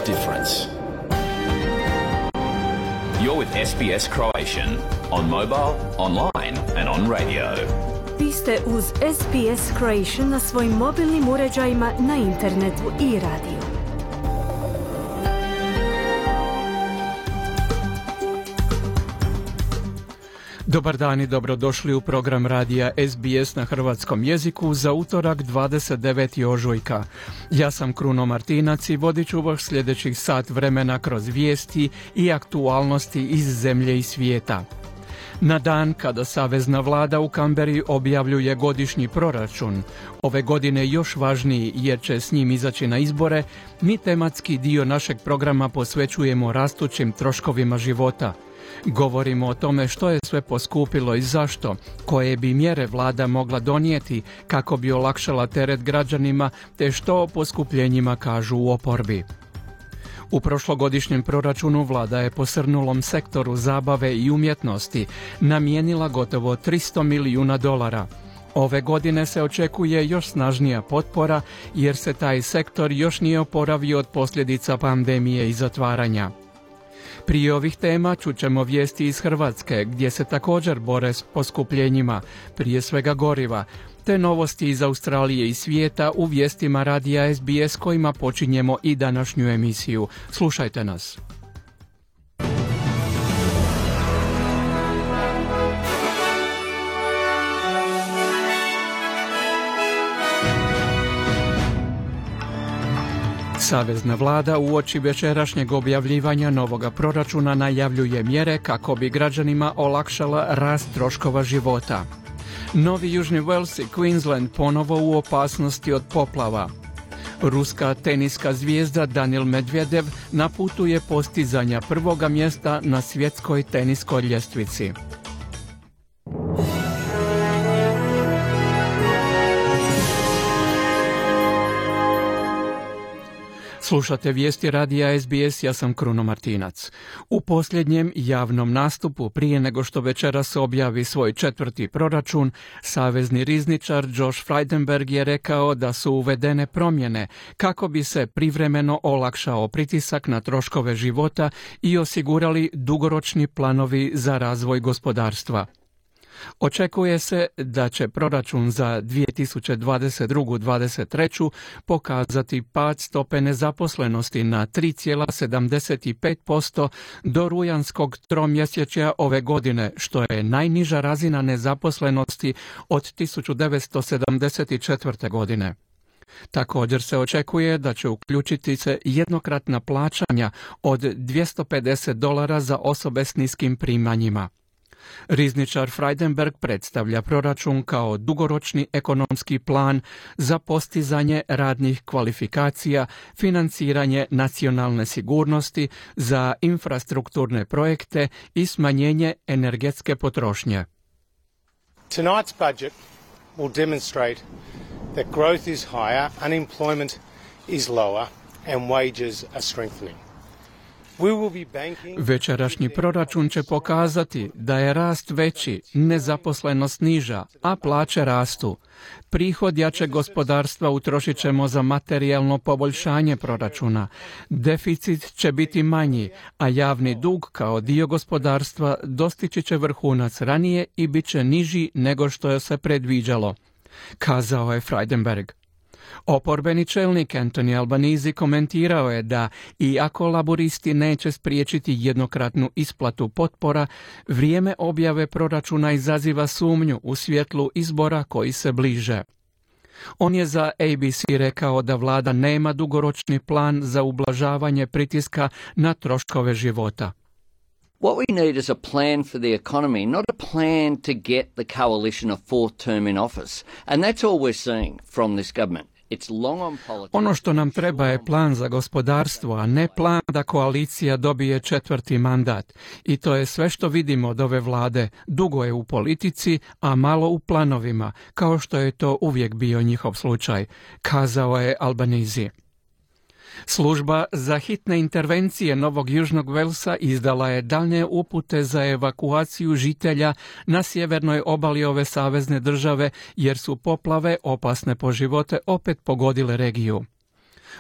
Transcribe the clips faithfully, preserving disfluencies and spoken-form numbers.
difference. You're with S B S Croatian on mobile, online and on radio. Vi ste uz S B S Croatian na svojim mobilnim uređajima, na internetu i radiju. Dobar dan i dobrodošli u program radija S B S na hrvatskom jeziku za utorak dvadeset deveti ožujka. Ja sam Kruno Martinac i vodit ću vas sljedećih sat vremena kroz vijesti i aktualnosti iz zemlje i svijeta. Na dan kada savezna vlada u Kamberi objavljuje godišnji proračun, ove godine još važniji jer će s njim izaći na izbore, mi tematski dio našeg programa posvećujemo rastućim troškovima života. Govorimo o tome što je sve poskupilo i zašto, koje bi mjere vlada mogla donijeti kako bi olakšala teret građanima, te što o poskupljenjima kažu u oporbi. U prošlogodišnjem proračunu vlada je posrnulom sektoru zabave i umjetnosti namijenila gotovo tristo milijuna dolara. Ove godine se očekuje još snažnija potpora jer se taj sektor još nije oporavio od posljedica pandemije i zatvaranja. Prije ovih tema čućemo vijesti iz Hrvatske gdje se također bore s poskupljenjima, prije svega goriva, te novosti iz Australije i svijeta u vijestima radija S B S kojima počinjemo i današnju emisiju. Slušajte nas. Savezna vlada uoči večerašnjeg objavljivanja novoga proračuna najavljuje mjere kako bi građanima olakšala rast troškova života. Novi Južni Wales i Queensland ponovo u opasnosti od poplava. Ruska teniska zvijezda Daniil Medvedev na putu je postizanja prvoga mjesta na svjetskoj teniskoj ljestvici. Slušate vijesti radija S B S, ja sam Kruno Martinac. U posljednjem javnom nastupu, prije nego što večeras objavi svoj četvrti proračun, savezni rizničar Josh Frydenberg je rekao da su uvedene promjene kako bi se privremeno olakšao pritisak na troškove života i osigurali dugoročni planovi za razvoj gospodarstva. Očekuje se da će proračun za dvije tisuće dvadeset drugu do dvadeset treću pokazati pad stope nezaposlenosti na tri zarez sedamdeset pet posto do rujanskog tromjesečja ove godine, što je najniža razina nezaposlenosti od tisuću devetsto sedamdeset četvrte. godine. Također se očekuje da će uključiti se jednokratna plaćanja od dvjesto pedeset dolara za osobe s niskim primanjima. Rizničar Frydenberg predstavlja proračun kao dugoročni ekonomski plan za postizanje radnih kvalifikacija, financiranje nacionalne sigurnosti, za infrastrukturne projekte i smanjenje energetske potrošnje. Tonight's budget will demonstrate that growth is higher, unemployment is lower and wages are strengthening. Večerašnji proračun će pokazati da je rast veći, nezaposlenost niža, a plaće rastu. Prihod jačeg gospodarstva utrošit ćemo za materijalno poboljšanje proračuna. Deficit će biti manji, a javni dug kao dio gospodarstva dostići će vrhunac ranije i bit će niži nego što je se predviđalo, kazao je Frydenberg. Oporbeni čelnik Anthony Albanese komentirao je da, iako laburisti neće spriječiti jednokratnu isplatu potpora, vrijeme objave proračuna izaziva sumnju u svjetlu izbora koji se bliže. On je za A B C rekao da vlada nema dugoročni plan za ublažavanje pritiska na troškove života. What we need is a plan for the economy, not a plan to get the coalition a fourth term in office. And that's all we're seeing from this government. Ono što nam treba je plan za gospodarstvo, a ne plan da koalicija dobije četvrti mandat. I to je sve što vidimo od ove vlade. Dugo je u politici, a malo u planovima, kao što je to uvijek bio njihov slučaj, kazao je Albanese. Služba za hitne intervencije Novog Južnog Velsa izdala je daljnje upute za evakuaciju žitelja na sjevernoj obali ove savezne države jer su poplave opasne po živote opet pogodile regiju.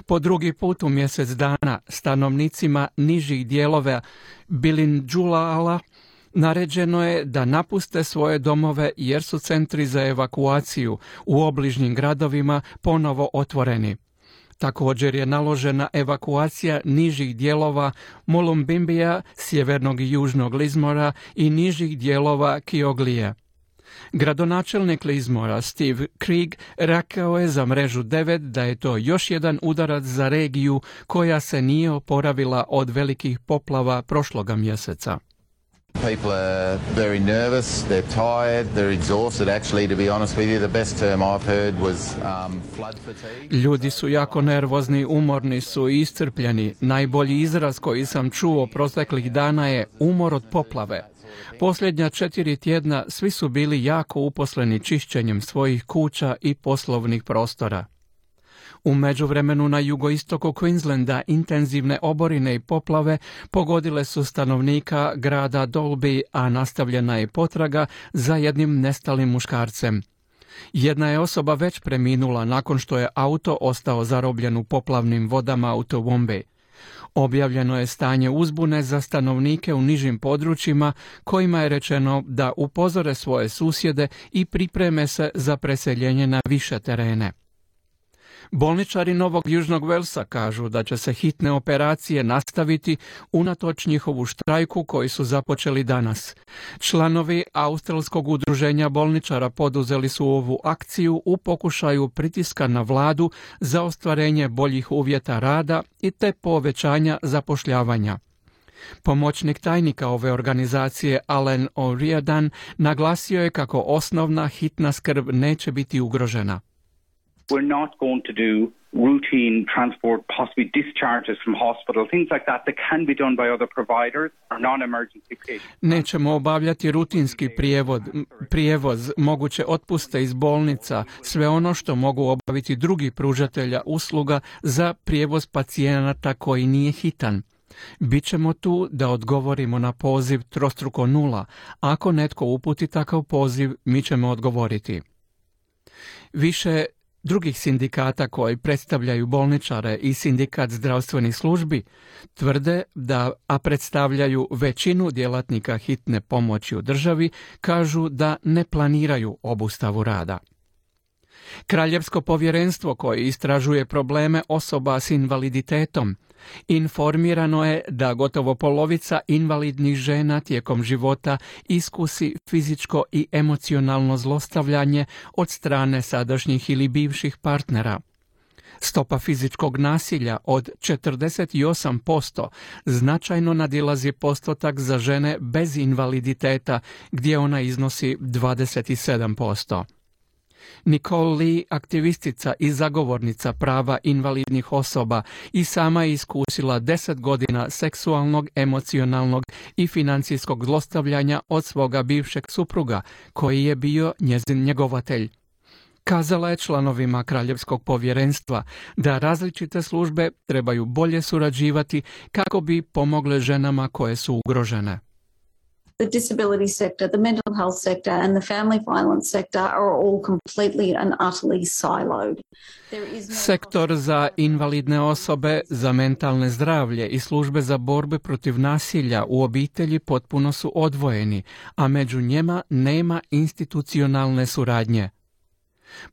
Po drugi put u mjesec dana stanovnicima nižih dijelova Bilinđulala naređeno je da napuste svoje domove jer su centri za evakuaciju u obližnjim gradovima ponovo otvoreni. Također je naložena evakuacija nižih dijelova Molumbimbija, sjevernog i južnog Lizmora i nižih dijelova Kioglije. Gradonačelnik Lizmora Steve Krieg rekao je za mrežu devet da je to još jedan udarac za regiju koja se nije oporavila od velikih poplava prošloga mjeseca. People are very nervous, they're tired, they're exhausted. Actually, to be honest with you, the best term I've heard was um, flood fatigue. Ljudi su jako nervozni, umorni su i iscrpljeni. Najbolji izraz koji sam čuo proteklih dana je umor od poplave. Posljednja četiri tjedna svi su bili jako uposleni čišćenjem svojih kuća i poslovnih prostora. U međuvremenu na jugoistoku Queenslanda intenzivne oborine i poplave pogodile su stanovnika grada Dalby, a nastavljena je potraga za jednim nestalim muškarcem. Jedna je osoba već preminula nakon što je auto ostao zarobljen u poplavnim vodama u Toowoomba. Objavljeno je stanje uzbune za stanovnike u nižim područjima kojima je rečeno da upozore svoje susjede i pripreme se za preseljenje na više terene. Bolničari Novog Južnog Velsa kažu da će se hitne operacije nastaviti unatoč njihovu štrajku koji su započeli danas. Članovi Australskog udruženja bolničara poduzeli su ovu akciju u pokušaju pritiska na vladu za ostvarenje boljih uvjeta rada i te povećanja zapošljavanja. Pomoćnik tajnika ove organizacije Alan O'Riordan naglasio je kako osnovna hitna skrb neće biti ugrožena. We're not going to do routine transport, possibly discharges from hospital, things like that that can be done by other providers or non-emergency patients. Nećemo obavljati rutinski prijevod, prijevoz, moguće otpuste iz bolnica, sve ono što mogu obaviti drugi pružatelja usluga za prijevoz pacijenata koji nije hitan. Bićemo tu da odgovorimo na poziv trostruko nula. Ako netko uputi takav poziv, mi ćemo odgovoriti. Više drugih sindikata koji predstavljaju bolničare i sindikat zdravstvenih službi tvrde da, a predstavljaju većinu djelatnika hitne pomoći u državi, kažu da ne planiraju obustavu rada. Kraljevsko povjerenstvo koje istražuje probleme osoba s invaliditetom informirano je da gotovo polovica invalidnih žena tijekom života iskusi fizičko i emocionalno zlostavljanje od strane sadašnjih ili bivših partnera. Stopa fizičkog nasilja od četrdeset osam posto značajno nadilazi postotak za žene bez invaliditeta gdje ona iznosi dvadeset sedam posto. Nicole Lee, aktivistica i zagovornica prava invalidnih osoba, i sama je iskusila deset godina seksualnog, emocionalnog i financijskog zlostavljanja od svoga bivšeg supruga, koji je bio njezin njegovatelj. Kazala je članovima Kraljevskog povjerenstva da različite službe trebaju bolje surađivati kako bi pomogle ženama koje su ugrožene. The disability sector, the mental health sector and the family violence sector are all completely and utterly siloed. Sektor za invalidne osobe, za mentalne zdravlje i službe za borbe protiv nasilja u obitelji potpuno su odvojeni, a među njima nema institucionalne suradnje.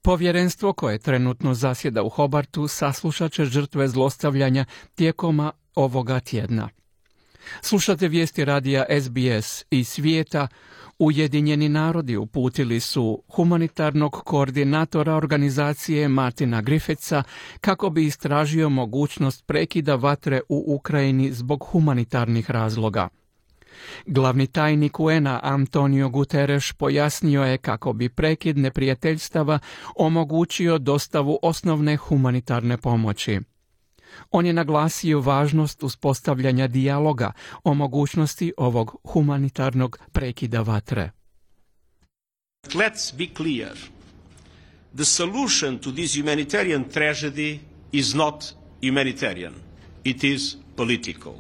Povjerenstvo koje trenutno zasjeda u Hobartu saslušat će žrtve zlostavljanja tijekom ovoga tjedna. Slušate vijesti radija S B S iz svijeta. Ujedinjeni narodi uputili su humanitarnog koordinatora organizacije Martina Griffitha kako bi istražio mogućnost prekida vatre u Ukrajini zbog humanitarnih razloga. Glavni tajnik U N-a Antonio Guterres pojasnio je kako bi prekid neprijateljstava omogućio dostavu osnovne humanitarne pomoći. On je naglasio važnost uspostavljanja dijaloga o mogućnosti ovog humanitarnog prekida vatre. Let's be clear. The solution to this humanitarian tragedy is not humanitarian. It is political.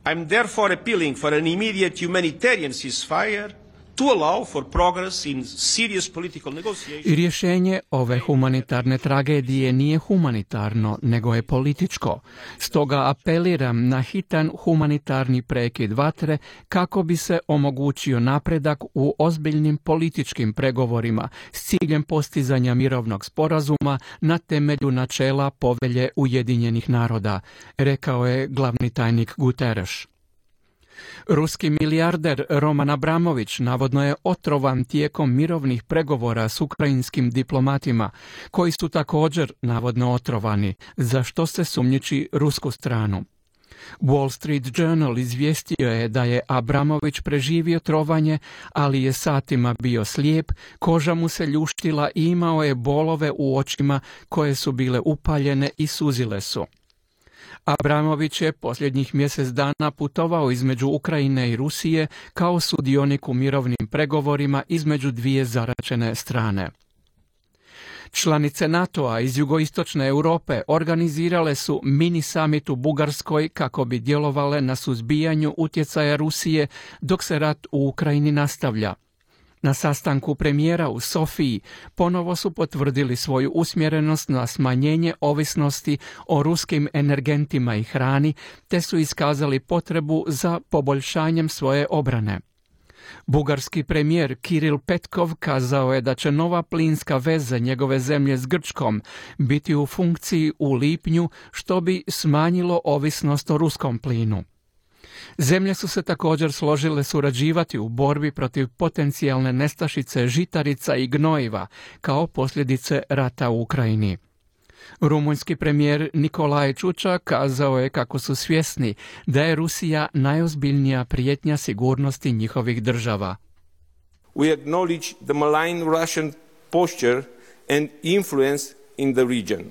I'm therefore appealing for an immediate humanitarian ceasefire to allow for progress in serious political negotiations. I rješenje ove humanitarne tragedije nije humanitarno, nego je političko. Stoga apeliram na hitan humanitarni prekid vatre kako bi se omogućio napredak u ozbiljnim političkim pregovorima s ciljem postizanja mirovnog sporazuma na temelju načela Povelje Ujedinjenih naroda, rekao je glavni tajnik Guterres. Ruski milijarder Roman Abramović navodno je otrovan tijekom mirovnih pregovora s ukrajinskim diplomatima, koji su također navodno otrovani, za što se sumnjiči rusku stranu. Wall Street Journal izvijestio je da je Abramović preživio trovanje, ali je satima bio slijep, koža mu se ljuštila i imao je bolove u očima koje su bile upaljene i suzile su. Abramović je posljednjih mjesec dana putovao između Ukrajine i Rusije kao sudionik u mirovnim pregovorima između dvije zaračene strane. Članice NATO-a iz jugoistočne Europe organizirale su mini summit u Bugarskoj kako bi djelovale na suzbijanju utjecaja Rusije dok se rat u Ukrajini nastavlja. Na sastanku premijera u Sofiji ponovo su potvrdili svoju usmjerenost na smanjenje ovisnosti o ruskim energentima i hrani, te su iskazali potrebu za poboljšanjem svoje obrane. Bugarski premijer Kiril Petkov kazao je da će nova plinska veza njegove zemlje s Grčkom biti u funkciji u lipnju, što bi smanjilo ovisnost o ruskom plinu. Zemlje su se također složile surađivati u borbi protiv potencijalne nestašice žitarica i gnojiva kao posljedice rata u Ukrajini. Rumunjski premijer Nikolaj Čuča kazao je kako su svjesni da je Rusija najozbiljnija prijetnja sigurnosti njihovih država. We acknowledge the malign Russian posture and influence in the region.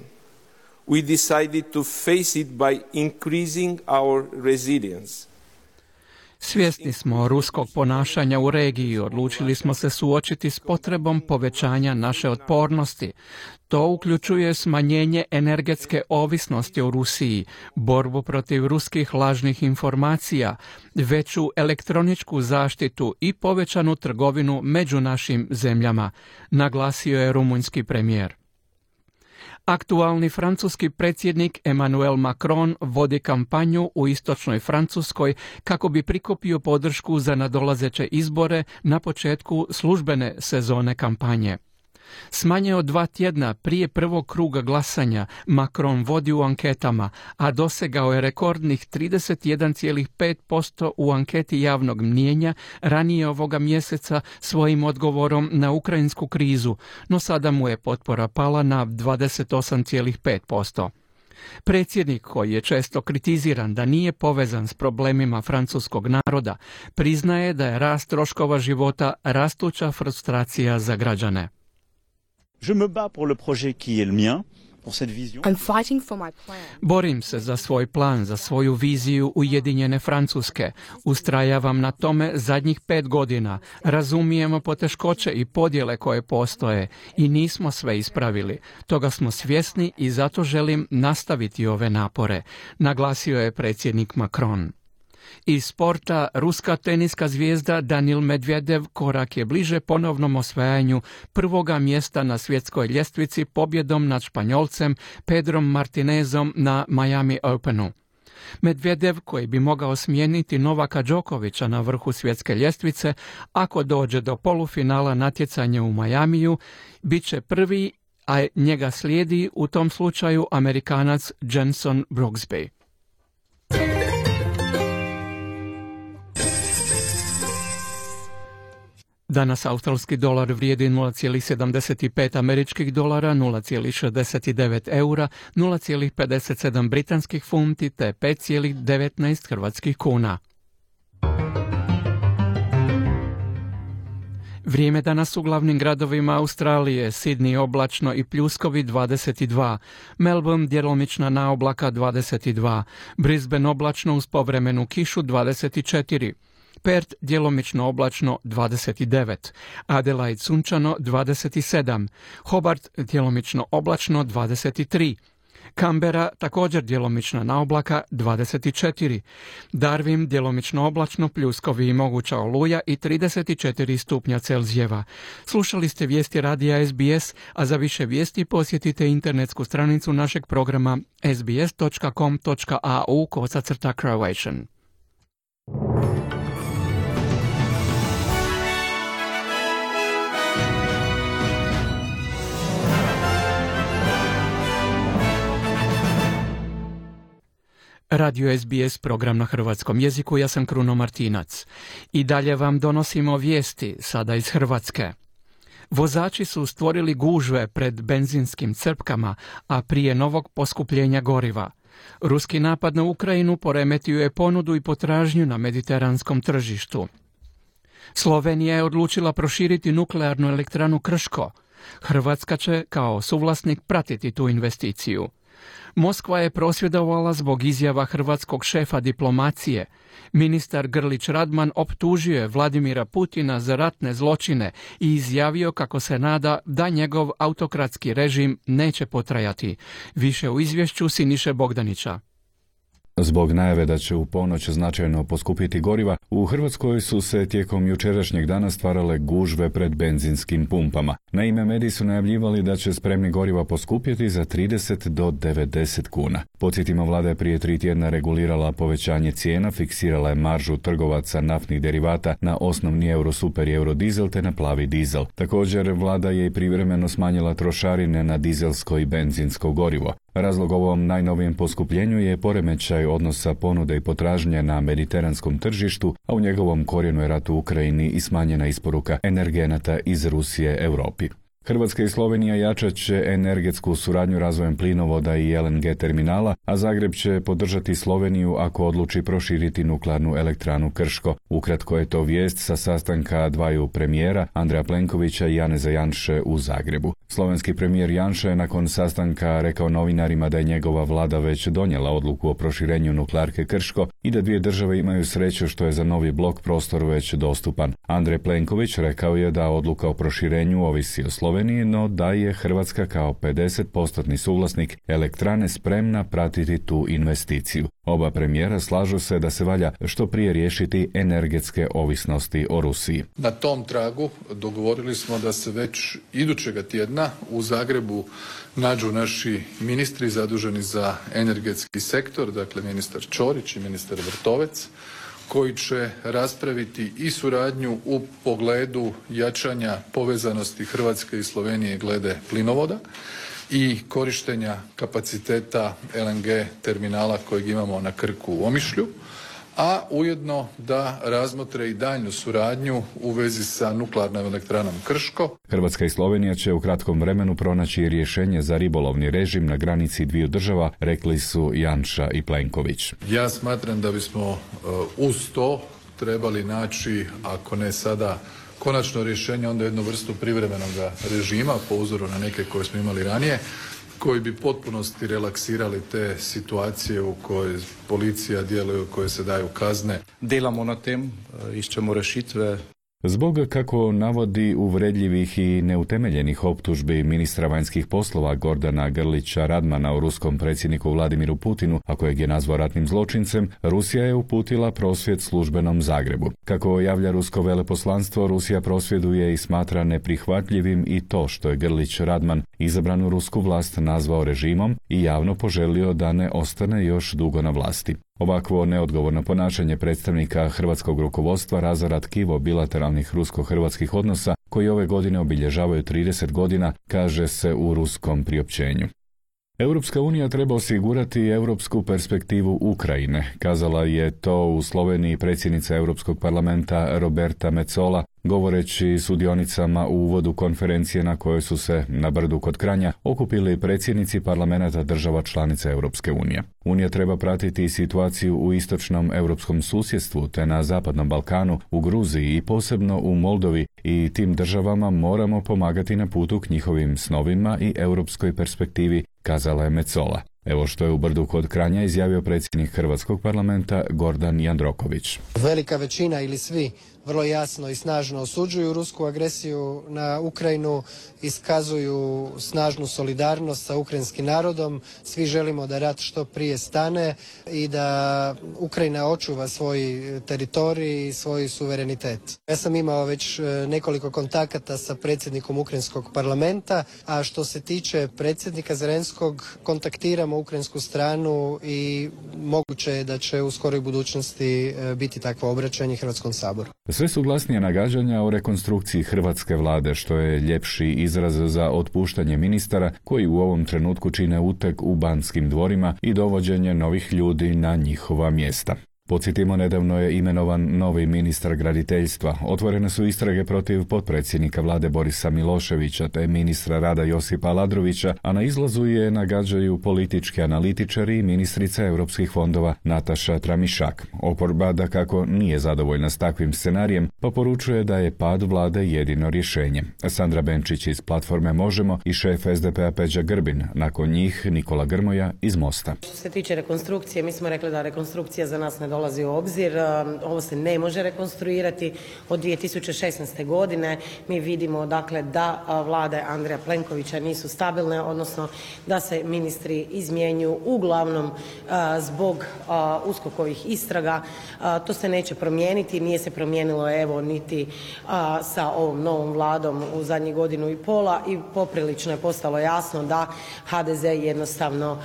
We decided to face it by increasing our resilience. Svjesni smo ruskog ponašanja u regiji i odlučili smo se suočiti s potrebom povećanja naše otpornosti. To uključuje smanjenje energetske ovisnosti o Rusiji, borbu protiv ruskih lažnih informacija, veću elektroničku zaštitu i povećanu trgovinu među našim zemljama, naglasio je rumunjski premijer. Aktualni francuski predsjednik Emmanuel Macron vodi kampanju u istočnoj Francuskoj kako bi prikupio podršku za nadolazeće izbore na početku službene sezone kampanje. S manje od dva tjedna prije prvog kruga glasanja Macron vodi u anketama, a dosegao je rekordnih trideset jedan zarez pet posto u anketi javnog mnijenja ranije ovoga mjeseca svojim odgovorom na ukrajinsku krizu, no sada mu je potpora pala na dvadeset osam zarez pet posto. Predsjednik, koji je često kritiziran da nije povezan s problemima francuskog naroda, priznaje da je rast troškova života rastuća frustracija za građane. Je me bats pour le projet qui est le mien, pour cette vision. I'm fighting for my plan. Borim se za svoj plan, za svoju viziju Ujedinjene Francuske. Ustrajavam na tome zadnjih pet godina. Razumijemo poteškoće i podjele koje postoje i nismo sve ispravili. Toga smo svjesni i zato želim nastaviti ove napore, naglasio je predsjednik Macron. Iz sporta, ruska teniska zvijezda Danil Medvedev korak je bliže ponovnom osvajanju prvoga mjesta na svjetskoj ljestvici pobjedom nad Španjolcem Pedrom Martinezom na Miami Openu. Medvedev, koji bi mogao smijeniti Novaka Đokovića na vrhu svjetske ljestvice, ako dođe do polufinala natjecanja u Majamiju, bit će prvi, a njega slijedi u tom slučaju Amerikanac Jenson Brooksby. Danas australski dolar vrijedi nula zarez sedamdeset pet američkih dolara, nula zarez šezdeset devet eura, nula zarez pedeset sedam britanskih funti te pet zarez devetnaest hrvatskih kuna. Vrijeme danas u glavnim gradovima Australije: Sydney oblačno i pljuskovi dvadeset dva, Melbourne djelomična naoblaka dvadeset dva, Brisbane oblačno uz povremenu kišu dvadeset četiri, Perth djelomično oblačno dvadeset devet, Adelaide sunčano dvadeset sedam, Hobart djelomično oblačno dvadeset tri, Canberra također djelomična naoblaka dvadeset četiri, Darwin djelomično oblačno, pljuskovi i moguća oluja i trideset četiri stupnja Celzijeva. Slušali ste vijesti radija S B S, a za više vijesti posjetite internetsku stranicu našeg programa s b s dot com dot a u kosacrta Croatian. Radio S B S, program na hrvatskom jeziku, ja sam Kruno Martinac. I dalje vam donosimo vijesti, sada iz Hrvatske. Vozači su stvorili gužve pred benzinskim crpkama, a prije novog poskupljenja goriva. Ruski napad na Ukrajinu poremetio je ponudu i potražnju na mediteranskom tržištu. Slovenija je odlučila proširiti nuklearnu elektranu Krško. Hrvatska će kao suvlasnik pratiti tu investiciju. Moskva je prosvjedovala zbog izjava hrvatskog šefa diplomacije. Ministar Grlić Radman optužio je Vladimira Putina za ratne zločine i izjavio kako se nada da njegov autokratski režim neće potrajati. Više u izvješću Siniše Bogdanića. Zbog najave da će u ponoć značajno poskupiti goriva, u Hrvatskoj su se tijekom jučerašnjeg dana stvarale gužve pred benzinskim pumpama. Naime, mediji su najavljivali da će spremni goriva poskupjeti za trideset do devedeset kuna. Podsjetimo, vlada je prije tri tjedna regulirala povećanje cijena, fiksirala je maržu trgovaca naftnih derivata na osnovni eurosuper i eurodizel te na plavi dizel. Također, vlada je i privremeno smanjila trošarine na dizelsko i benzinsko gorivo. Razlog ovom najnovijem poskupljenju je poremećaj odnosa ponude i potražnje na mediteranskom tržištu, a u njegovom korijenu je rat u Ukrajini i smanjena isporuka energenata iz Rusije Europi. Hrvatska i Slovenija jačat će energetsku suradnju razvojem plinovoda i L N G terminala, a Zagreb će podržati Sloveniju ako odluči proširiti nuklearnu elektranu Krško. Ukratko je to vijest sa sastanka dvaju premijera, Andreja Plenkovića i Janeza Janše u Zagrebu. Slovenski premijer Janša je nakon sastanka rekao novinarima da je njegova vlada već donijela odluku o proširenju nuklearke Krško i da dvije države imaju sreću što je za novi blok prostor već dostupan. Andrej Plenković rekao je da odluka o proširenju ovisi o Sloveniji, no da je Hrvatska kao pedeset posto suvlasnik elektrane spremna pratiti tu investiciju. Oba premijera slažu se da se valja što prije riješiti energetske ovisnosti o Rusiji. Na tom tragu dogovorili smo da se već idućega tjedna u Zagrebu nađu naši ministri zaduženi za energetski sektor, dakle ministar Ćorić i ministar Vrtovec, koji će raspraviti i suradnju u pogledu jačanja povezanosti Hrvatske i Slovenije glede plinovoda i korištenja kapaciteta L N G terminala kojeg imamo na Krku u Omišlju, a ujedno da razmotre i daljnju suradnju u vezi sa nuklearnom elektranom Krško. Hrvatska i Slovenija će u kratkom vremenu pronaći rješenje za ribolovni režim na granici dviju država, rekli su Janša i Plenković. Ja smatram da bismo uh, uz to trebali naći, ako ne sada konačno rješenje, onda jednu vrstu privremenog režima po uzoru na neke koje smo imali ranije, koji bi potpunosti relaksirali te situacije u kojoj policija djeluje, u kojoj se daju kazne. Delamo na tem, iščemo rešitve. Zbog, kako navodi, uvredljivih i neutemeljenih optužbi ministra vanjskih poslova Gordana Grlića Radmana o ruskom predsjedniku Vladimiru Putinu, a kojeg je nazvao ratnim zločincem, Rusija je uputila prosvjed službenom Zagrebu. Kako javlja rusko veleposlanstvo, Rusija prosvjeduje i smatra neprihvatljivim i to što je Grlić Radman izabranu rusku vlast nazvao režimom i javno poželio da ne ostane još dugo na vlasti. Ovakvo neodgovorno ponašanje predstavnika hrvatskog rukovodstva razara tkivo bilateralnih rusko-hrvatskih odnosa koji ove godine obilježavaju trideset godina, kaže se u ruskom priopćenju. Europska unija treba osigurati europsku perspektivu Ukrajine, kazala je to u Sloveniji predsjednica Europskog parlamenta Roberta Metsola, govoreći sudionicama u uvodu konferencije na kojoj su se na brdu kod Kranja okupili predsjednici parlamenta država članica Europske unije. Unija treba pratiti situaciju u istočnom europskom susjedstvu te na zapadnom Balkanu, u Gruziji i posebno u Moldovi, i tim državama moramo pomagati na putu k njihovim snovima i europskoj perspektivi, kazala je Metsola. Evo što je u brdu kod Kranja izjavio predsjednik Hrvatskog parlamenta Gordan Jandroković. Velika većina ili svi vrlo jasno i snažno osuđuju rusku agresiju na Ukrajinu, iskazuju snažnu solidarnost sa ukrajinskim narodom. Svi želimo da rat što prije stane i da Ukrajina očuva svoj teritorij i svoj suverenitet. Ja sam imao već nekoliko kontakata sa predsjednikom ukrajinskog parlamenta, a što se tiče predsjednika Zelenskog, kontaktiramo ukrajinsku stranu i moguće je da će u skoroj budućnosti biti takvo obraćanje Hrvatskom saboru. Sve su glasnije nagađanja o rekonstrukciji hrvatske vlade, što je ljepši izraz za otpuštanje ministara koji u ovom trenutku čine uteg u Banskim dvorima i dovođenje novih ljudi na njihova mjesta. Podsjetimo, nedavno je imenovan novi ministar graditeljstva. Otvorene su istrage protiv potpredsjednika vlade Borisa Miloševića te ministra rada Josipa Aladrovića, a na izlazu je nagađaju politički analitičari i ministrica europskih fondova Nataša Tramišak. Oporba dakako nije zadovoljna s takvim scenarijem, pa poručuje da je pad vlade jedino rješenje. Sandra Benčić iz platforme Možemo i šef es de pe a Peđa Grbin, nakon njih Nikola Grmoja iz Mosta. Što se tiče rekonstrukcije, mi smo rekli da rekonstrukcija za nas ne dolazi u obzir. Ovo se ne može rekonstruirati. Od dvije tisuće šesnaeste. godine mi vidimo dakle da vlade Andreja Plenkovića nisu stabilne, odnosno da se ministri izmjenjuju uglavnom zbog uskokovih istraga. To se neće promijeniti, nije se promijenilo evo niti sa ovom novom vladom u zadnjih godinu i pola i poprilično je postalo jasno da ha de ze jednostavno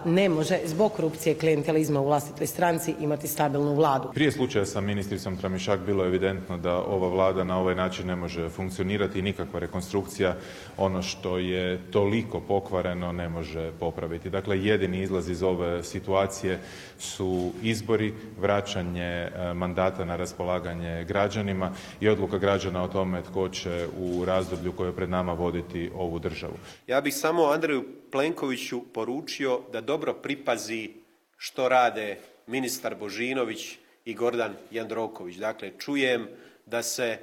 ne može zbog korupcije i klijentelizma u vlastitoj stranci imati stabilnu vladu. Prije slučaja sa ministricom Tramišak bilo je evidentno da ova vlada na ovaj način ne može funkcionirati i nikakva rekonstrukcija ono što je toliko pokvareno ne može popraviti. Dakle, jedini izlaz iz ove situacije su izbori, vraćanje mandata na raspolaganje građanima i odluka građana o tome tko će u razdoblju koje je pred nama voditi ovu državu. Ja bih samo Andreju Plenkoviću poručio da dobro pripazi što rade ministar Božinović i Gordan Jandroković. Dakle, čujem da se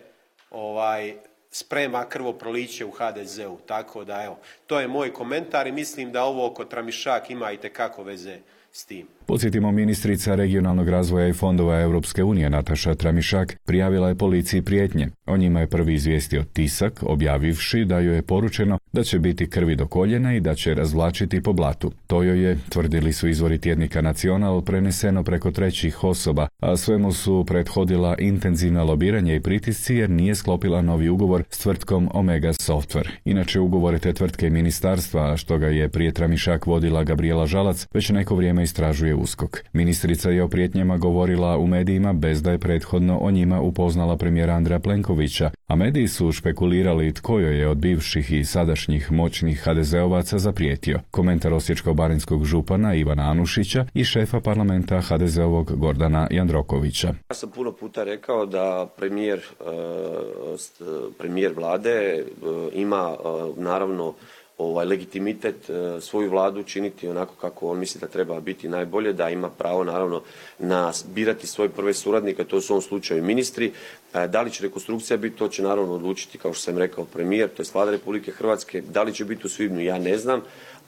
ovaj sprema krvoproliće u ha de zeu, tako da evo, to je moj komentar i mislim da ovo oko Tramišak ima itekako veze s tim. Podsjetimo, ministrica regionalnog razvoja i fondova Europske unije Nataša Tramišak prijavila je policiji prijetnje. O njima je prvi izvijestio Tisak, objavivši da joj je poručeno da će biti krvi do koljena i da će razvlačiti po blatu. To joj je, tvrdili su izvori tjednika Nacional, preneseno preko trećih osoba, a svemu su prethodila intenzivna lobiranje i pritisci jer nije sklopila novi ugovor s tvrtkom Omega Software. Inače, ugovore te tvrtke i ministarstva, a što ga je prije Tramišak vodila Gabrijela Žalac, već neko vrijeme istražuje USKOK. Ministrica je o prijetnjama govorila u medijima bez da je prethodno o njima upoznala premijera Andreja Plenkovića, a mediji su špekulirali tko joj je od bivših i sadašnjih moćnih ha de zeovaca zaprijetio. Komentar osječko-baranjskog župana Ivana Anušića i šefa parlamenta ha de zeovog Gordana Jandrokovića. Ja sam puno puta rekao da premijer, premijer vlade ima naravno ovaj legitimitet svoju vladu činiti onako kako on misli da treba biti najbolje, da ima pravo naravno na birati svoje prve suradnike, to su u ovom slučaju ministri. Da li će rekonstrukcija biti, to će naravno odlučiti, kao što sam rekao, premijer, to je vlada Republike Hrvatske. Da li će biti u svibnju, ja ne znam,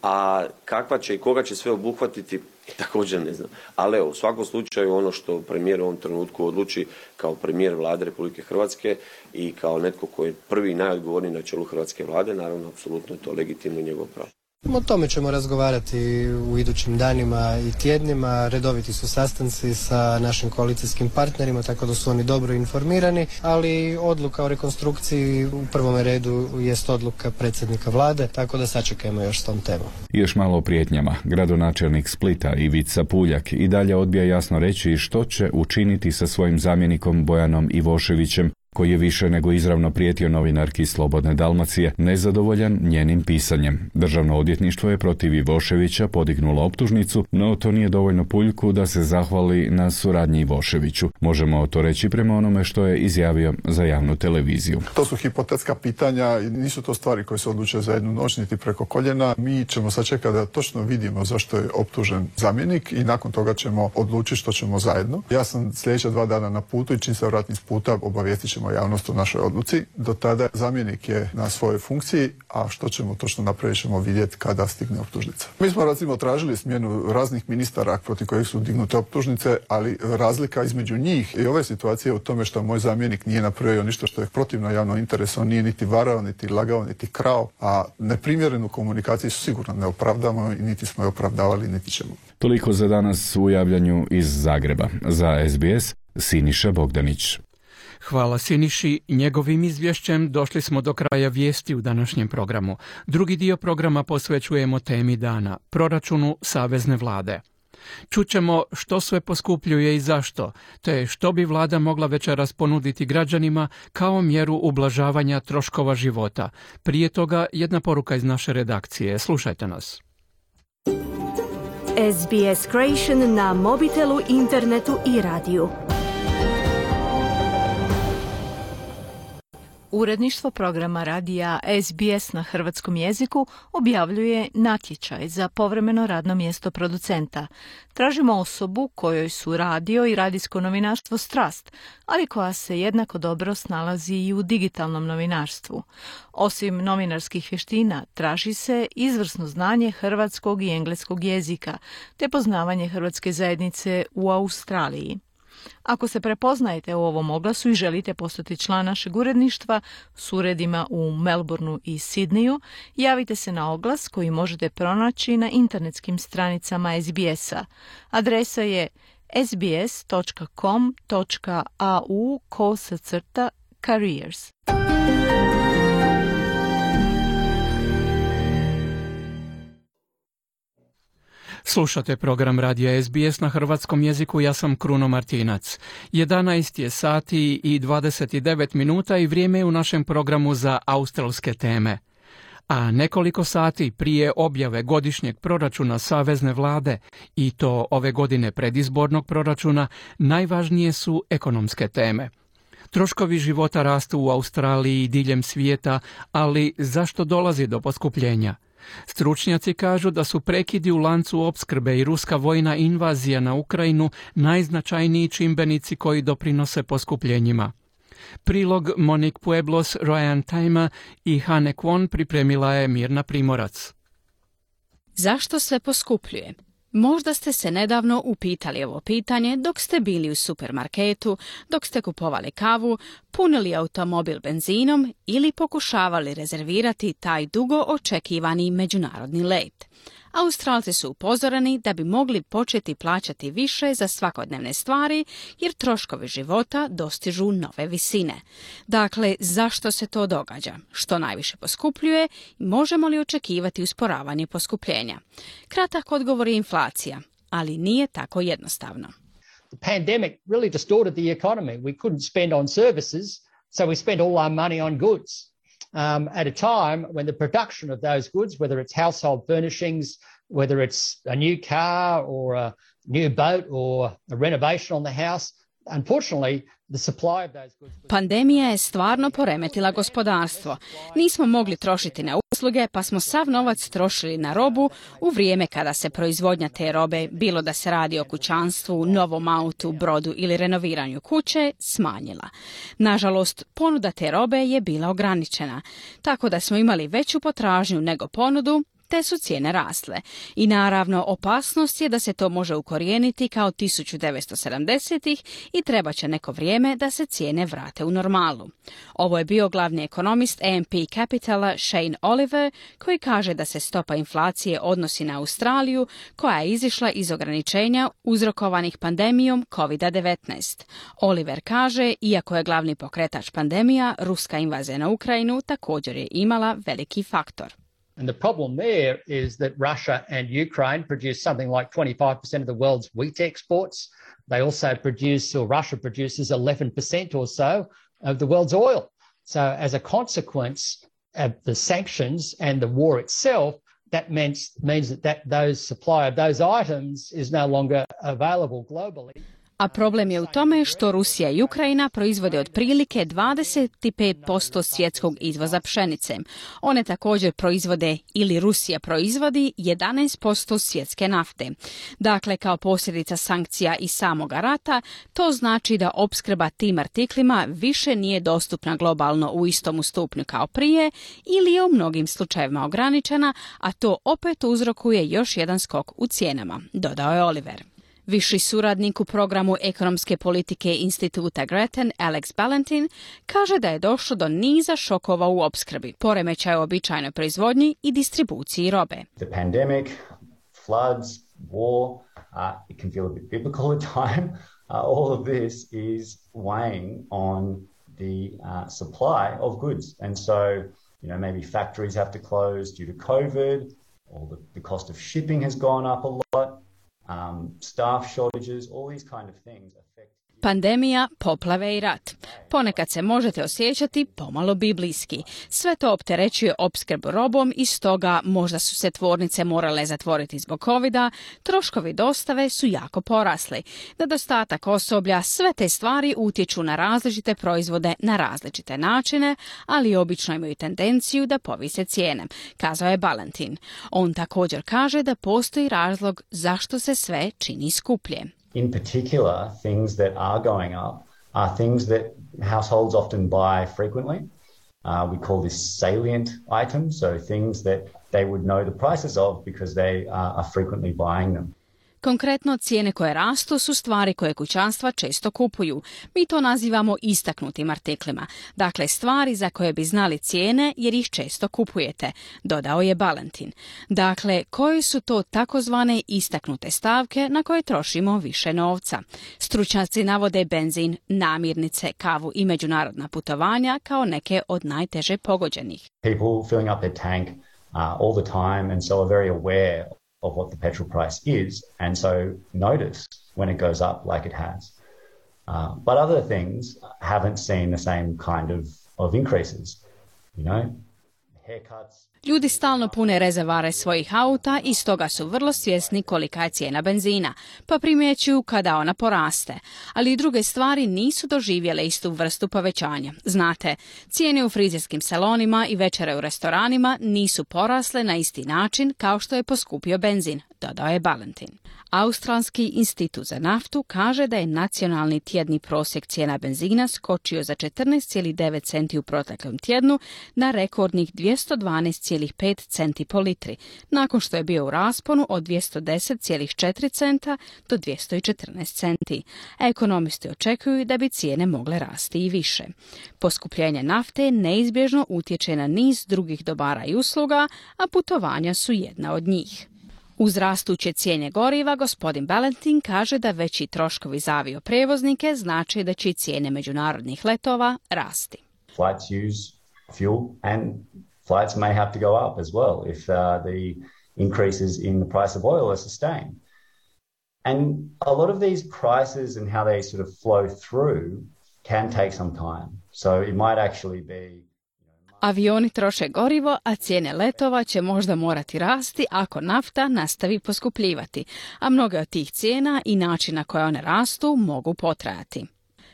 a kakva će i koga će sve obuhvatiti, također ne znam. Ali evo, u svakom slučaju ono što premijer u ovom trenutku odluči kao premijer vlade Republike Hrvatske i kao netko koji je prvi i najodgovorniji na čelu hrvatske vlade, naravno, apsolutno je to legitimno i njegov pravo. O tome ćemo razgovarati u idućim danima i tjednima. Redoviti su sastanci sa našim koalicijskim partnerima, tako da su oni dobro informirani, ali odluka o rekonstrukciji u prvom redu jest odluka predsjednika vlade, tako da sačekajmo još s tom temom. Još malo o prijetnjama. Gradonačelnik Splita Ivica Puljak i dalje odbija jasno reći što će učiniti sa svojim zamjenikom Bojanom Ivoševićem, koji je više nego izravno prijetio novinarki Slobodne Dalmacije, nezadovoljan njenim pisanjem. Državno odvjetništvo je protiv Ivoševića podignulo optužnicu, no to nije dovoljno Puljku da se zahvali na suradnji Ivoševiću. Možemo to reći prema onome što je izjavio za javnu televiziju. To su hipotetska pitanja i nisu to stvari koje se odlučuju za jednu noć niti preko koljena. Mi ćemo sačekati da točno vidimo zašto je optužen zamjenik i nakon toga ćemo odlučiti što ćemo zajedno. Ja sam sljedeća dva dana na putu i čim se vratim s puta obavijestit ćemo ćemo javnost o našoj odluci. Do tada zamjenik je na svojoj funkciji, a što ćemo točno napraviti ćemo vidjeti kada stigne optužnica. Mi smo recimo tražili smjenu raznih ministara protiv kojih su dignute optužnice, ali razlika između njih i ove situacije u tome što moj zamjenik nije napravio ništa što je protivno javnom interesu, on nije niti varao, niti lagao, niti krao, a neprimjerenu komunikaciju sigurno ne opravdamo i niti smo je opravdavali, niti ćemo. Toliko za danas u javljanju iz Zagreba. Za S B S, Siniša Bogdanić. Hvala Siniši. Njegovim izvješćem došli smo do kraja vijesti u današnjem programu. Drugi dio programa posvećujemo temi dana, proračunu savezne vlade. Čućemo što sve poskupljuje i zašto, te što bi vlada mogla večeras ponuditi građanima kao mjeru ublažavanja troškova života. Prije toga jedna poruka iz naše redakcije. Slušajte nas. S B S Creation na mobitelu, internetu i radiju. Uredništvo programa radija S B S na hrvatskom jeziku objavljuje natječaj za povremeno radno mjesto producenta. Tražimo osobu kojoj su radio i radijsko novinarstvo strast, ali koja se jednako dobro snalazi i u digitalnom novinarstvu. Osim novinarskih vještina, traži se izvrsno znanje hrvatskog i engleskog jezika, te poznavanje hrvatske zajednice u Australiji. Ako se prepoznajete u ovom oglasu i želite postati član našeg uredništva s uredima u Melbourneu i Sidneju, javite se na oglas koji možete pronaći na internetskim stranicama S B S-a. Adresa je sbs.com.au kosacrta careers. Slušate program radija S B S na hrvatskom jeziku, ja sam Kruno Martinac. jedanaest je sati i dvadeset devet minuta i vrijeme je u našem programu za australske teme. A nekoliko sati prije objave godišnjeg proračuna savezne vlade, i to ove godine predizbornog proračuna, najvažnije su ekonomske teme. Troškovi života rastu u Australiji i diljem svijeta, ali zašto dolazi do poskupljenja? Stručnjaci kažu da su prekidi u lancu opskrbe i ruska vojna invazija na Ukrajinu najznačajniji čimbenici koji doprinose poskupljenjima. Prilog Monique Pueblos, Ryan Tajma i Hane Kwon pripremila je Mirna Primorac. Zašto sve poskupljuje? Možda ste se nedavno upitali ovo pitanje dok ste bili u supermarketu, dok ste kupovali kavu, punili automobil benzinom ili pokušavali rezervirati taj dugo očekivani međunarodni let. Australci su upozoreni da bi mogli početi plaćati više za svakodnevne stvari jer troškovi života dostižu nove visine. Dakle, zašto se to događa? Što najviše poskupljuje i možemo li očekivati usporavanje poskupljenja? Kratak odgovor je inflacija, ali nije tako jednostavno. The pandemic really distorted the economy. We couldn't spend on services, so we spent all our money on goods. Um, at a time when the production of those goods, whether it's household furnishings, whether it's a new car or a new boat or a renovation on the house, unfortunately, the supply of those goods... Pandemija je stvarno poremetila gospodarstvo. Nismo mogli trošiti na usluge, pa smo sav novac trošili na robu u vrijeme kada se proizvodnja te robe, bilo da se radi o kućanstvu, novom autu, brodu ili renoviranju kuće, smanjila. Nažalost, ponuda te robe je bila ograničena, tako da smo imali veću potražnju nego ponudu, te su cijene rasle. I naravno, opasnost je da se to može ukorijeniti kao tisuću devetsto sedamdesetih i treba će neko vrijeme da se cijene vrate u normalu. Ovo je bio glavni ekonomist A M P Capitala Shane Oliver, koji kaže da se stopa inflacije odnosi na Australiju, koja je izišla iz ograničenja uzrokovanih pandemijom kovid devetnaest. Oliver kaže, iako je glavni pokretač pandemija, ruska invazija na Ukrajinu također je imala veliki faktor. And the problem there is that Russia and Ukraine produce something like twenty-five percent of the world's wheat exports. They also produce, or Russia produces eleven percent or so of the world's oil. So as a consequence of the sanctions and the war itself, that means, means that, that those supply of those items is no longer available globally. A problem je u tome što Rusija i Ukrajina proizvode otprilike dvadeset pet posto svjetskog izvoza pšenice. One također proizvode ili Rusija proizvodi jedanaest posto svjetske nafte. Dakle, kao posljedica sankcija i samoga rata, to znači da opskrba tim artiklima više nije dostupna globalno u istom stupnju kao prije ili je u mnogim slučajevima ograničena, a to opet uzrokuje još jedan skok u cijenama, dodao je Oliver. Viši suradnik u programu ekonomske politike instituta Grattan, Alex Ballantyne, kaže da je došlo do niza šokova u opskrbi, poremećaja u običajnoj proizvodnji i distribuciji robe. The pandemic, floods, war, uh, it can feel a bit biblical at time. Uh, all of this is weighing on the uh, supply of goods. And so, you know, maybe factories have to close due to COVID, or the, the cost of shipping has gone up a lot. Um, staff shortages, all these kind of things affect. Pandemija, poplave i rat. Ponekad se možete osjećati pomalo biblijski. Sve to opterećuje opskrbu robom i stoga možda su se tvornice morale zatvoriti zbog covida, troškovi dostave su jako porasli. Nedostatak osoblja, sve te stvari utječu na različite proizvode na različite načine, ali obično imaju tendenciju da povise cijene, kazao je Ballantyne. On također kaže da postoji razlog zašto se sve čini skuplje. In particular, things that are going up are things that households often buy frequently. Uh, we call this salient items, so things that they would know the prices of because they uh, are frequently buying them. Konkretno, cijene koje rastu su stvari koje kućanstva često kupuju. Mi to nazivamo istaknutim artiklima. Dakle, stvari za koje bi znali cijene jer ih često kupujete, dodao je Ballantyne. Dakle, koje su to takozvane istaknute stavke na koje trošimo više novca? Stručnjaci navode benzin, namirnice, kavu i međunarodna putovanja kao neke od najteže pogođenih. People filling up their tank uh, all the time and so are very aware of what the petrol price is, and so notice when it goes up like it has. Uh, but other things haven't seen the same kind of, of increases, you know, haircuts. Ljudi stalno pune rezervare svojih auta i stoga su vrlo svjesni kolika je cijena benzina, pa primjećuju kada ona poraste. Ali i druge stvari nisu doživjele istu vrstu povećanja. Znate, cijene u frizerskim salonima i večere u restoranima nisu porasle na isti način kao što je poskupio benzin, dodao je Ballantyne. Australski institut za naftu kaže da je nacionalni tjedni prosjek cijena benzina skočio za četrnaest zarez devet centi u proteklom tjednu na rekordnih dvjesto dvanaest zarez pet centi po litri, nakon što je bio u rasponu od dvjesto deset zarez četiri centa do dvjesto četrnaest centi. Ekonomisti očekuju da bi cijene mogle rasti i više. Poskupljenje nafte neizbježno utječe na niz drugih dobara i usluga, a putovanja su jedna od njih. Uz rastuće cijene goriva, gospodin Ballantyne kaže da veći troškovi za avioprijevoznike znači da će cijene međunarodnih letova rasti. Flights use fuel and flights may have to go up as well if uh, the increases in the price of oil are sustained. And a lot of these prices and how they sort of flow through can take some time. So it might actually be. Avioni troše gorivo, a cijene letova će možda morati rasti ako nafta nastavi poskupljivati, a mnoge od tih cijena i načina koje one rastu mogu potrajati.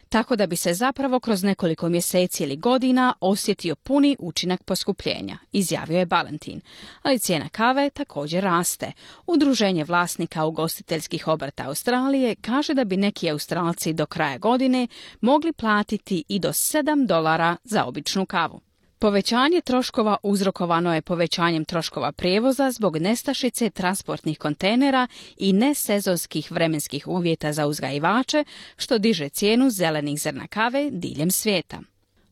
Tako da bi se zapravo kroz nekoliko mjeseci ili godina osjetio puni učinak poskupljenja, izjavio je Ballantyne. Ali cijena kave također raste. Udruženje vlasnika ugostiteljskih obrta Australije kaže da bi neki Australci do kraja godine mogli platiti i do sedam dolara za običnu kavu. Povećanje troškova uzrokovano je povećanjem troškova prijevoza zbog nestašice transportnih kontejnera i nesezonskih vremenskih uvjeta za uzgajivače, što diže cijenu zelenih zrna kave diljem svijeta.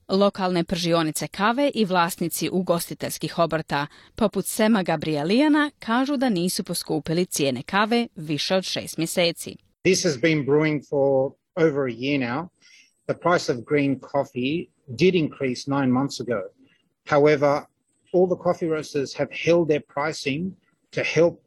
Lokalne pržionice kave i vlasnici ugostiteljskih obrta, poput Sema Gabrielijana, kažu da nisu poskupili cijene kave više od šest mjeseci. This has been brewing for over a year now. The price of green coffee did increase nine months ago. However, all the coffee roasters have held their pricing to help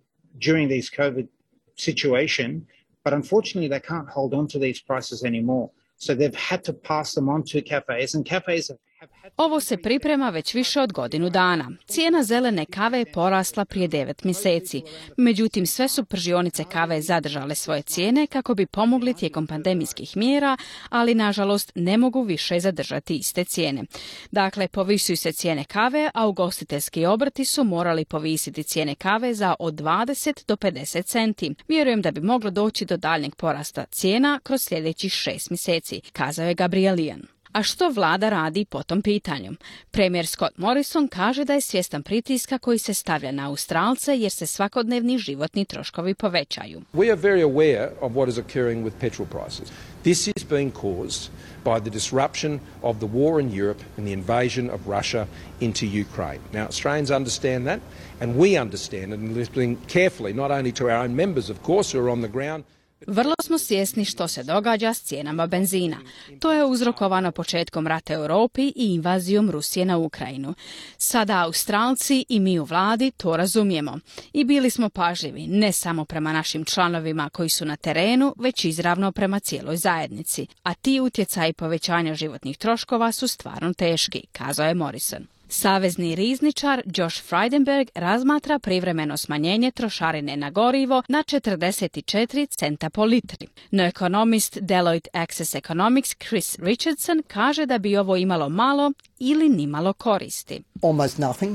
during this COVID situation, but unfortunately they can't hold on to these prices anymore. So they've had to pass them on to cafes, and cafes have Ovo se priprema već više od godinu dana. Cijena zelene kave je porasla prije devet mjeseci. Međutim, sve su pržionice kave zadržale svoje cijene kako bi pomogli tijekom pandemijskih mjera, ali nažalost ne mogu više zadržati iste cijene. Dakle, povisuju se cijene kave, a ugostiteljski obrti su morali povisiti cijene kave za od dvadeset do pedeset centi. Vjerujem da bi moglo doći do daljnjeg porasta cijena kroz sljedećih šest mjeseci, kazao je Gabrielian. A što vlada radi po tom pitanju? Premijer Scott Morrison kaže da je svjestan pritiska koji se stavlja na Australce jer se svakodnevni životni troškovi povećaju. We are very aware of what is occurring with petrol prices. This is being caused by the disruption of the war in Europe and the invasion of Russia into Ukraine. Now, Australians understand that, and we understand it, and listening carefully, not only to our own members, of course, who are on the ground. Vrlo smo svjesni što se događa s cijenama benzina. To je uzrokovano početkom rata u Europi i invazijom Rusije na Ukrajinu. Sada Australci i mi u vladi to razumijemo. I bili smo pažljivi ne samo prema našim članovima koji su na terenu, već izravno prema cijeloj zajednici. A ti utjecaji povećanja životnih troškova su stvarno teški, kazao je Morrison. Savezni rizničar Josh Frydenberg razmatra privremeno smanjenje trošarine na gorivo na četrdeset četiri centa po litri. No ekonomist Deloitte Access Economics Chris Richardson kaže da bi ovo imalo malo ili nimalo koristi. Almost nothing.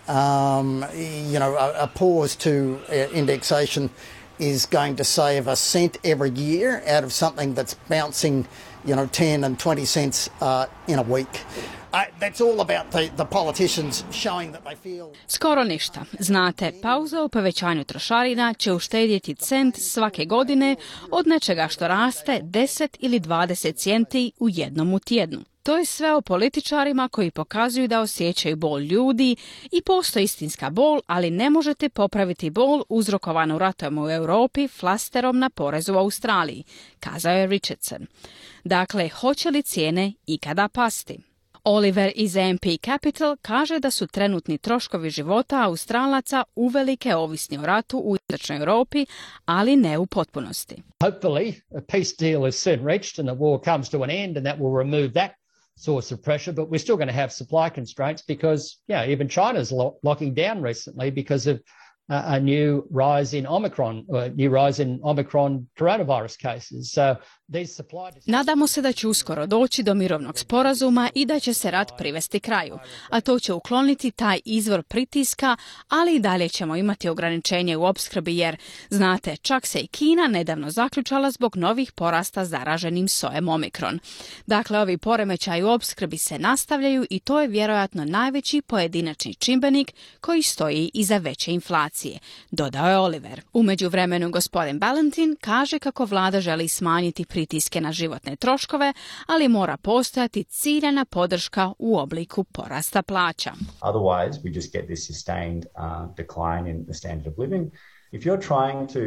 Um, you know, a, a pause to uh, indexation is going to save a cent every year out of something that's bouncing, you know, ten and twenty cents uh, in a week. I, that's all about the, the politicians showing that they feel... Skoro ništa. Znate, pauza u povećanju trošarina će uštedjeti cent svake godine od nečega što raste deset ili dvadeset centi u jednom u tjednu. To je sve o političarima koji pokazuju da osjećaju bol ljudi i postoji istinska bol, ali ne možete popraviti bol uzrokovanu ratom u Europi flasterom na porezu u Australiji, kazao je Richardson. Dakle, hoće li cijene ikada pasti? Oliver iz A M P Capital kaže da su trenutni troškovi života Australaca uvelike ovisni o ratu u istočnoj Europi, ali ne u potpunosti. Hopefully, a peace deal is soon reached and the war comes to an end and that will remove that source of pressure, but we're still going to have supply constraints because, yeah, even China's lo- locking down recently because of uh, a new rise in Omicron, uh, new rise in Omicron coronavirus cases. So these supply... Nadamo se da će uskoro doći do mirovnog sporazuma i da će se rat privesti kraju, a to će ukloniti taj izvor pritiska, ali i dalje ćemo imati ograničenje u opskrbi jer, znate, čak se i Kina nedavno zaključala zbog novih porasta zaraženim sojem Omikron. Dakle, ovi poremećaji u opskrbi se nastavljaju i to je vjerojatno najveći pojedinačni čimbenik koji stoji iza veće inflacije, dodao je Oliver. U međuvremenu gospodin Ballantyne kaže kako vlada želi smanjiti pritiske na životne troškove, ali mora postojati ciljana podrška u obliku porasta plaća. Otherwise, we just get this sustained uh, decline in the standard of living. If you're trying to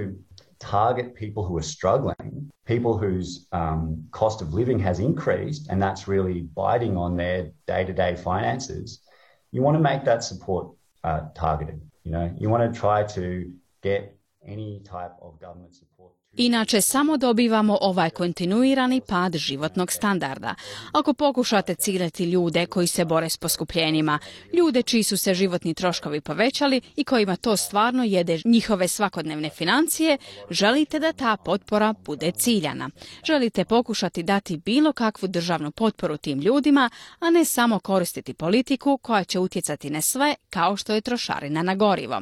target people who are struggling, people whose um, cost of living has increased, and that's really biting on their day-to-day finances, you want to make that support uh, targeted. You know, you want to try to get any type of government support. Inače, samo dobivamo ovaj kontinuirani pad životnog standarda. Ako pokušate ciljati ljude koji se bore s poskupljenjima, ljude čiji su se životni troškovi povećali i kojima to stvarno jede njihove svakodnevne financije, želite da ta potpora bude ciljana. Želite pokušati dati bilo kakvu državnu potporu tim ljudima, a ne samo koristiti politiku koja će utjecati na sve kao što je trošarina na gorivo.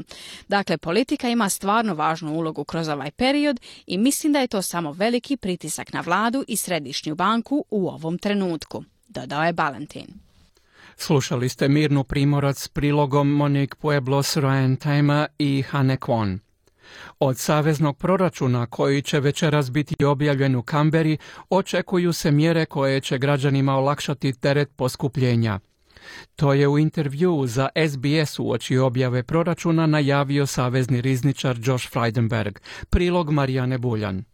Dakle, politika ima stvarno važnu ulogu kroz ovaj period i mislim da je to samo veliki pritisak na vladu i središnju banku u ovom trenutku, dodao je Ballantyne. Slušali ste Mirnu Primorac s prilogom Monique Pueblos, Ryan Tama i Hane Kwon. Od saveznog proračuna koji će večeras biti objavljen u Kamberi očekuju se mjere koje će građanima olakšati teret poskupljenja. To je u intervjuu za S B S uoči objave proračuna najavio savezni rizničar Josh Frydenberg. Prilog Marijane Buljan.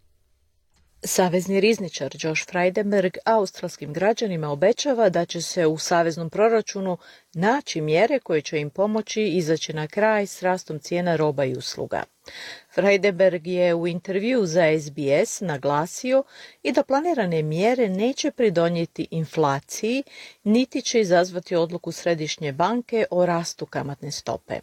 Savezni rizničar Josh Frydenberg australskim građanima obećava da će se u saveznom proračunu naći mjere koje će im pomoći izaći na kraj s rastom cijena roba i usluga. Freidenberg je u intervju za S B S naglasio i da planirane mjere neće pridonijeti inflaciji, niti će izazvati odluku Središnje banke o rastu kamatne stope.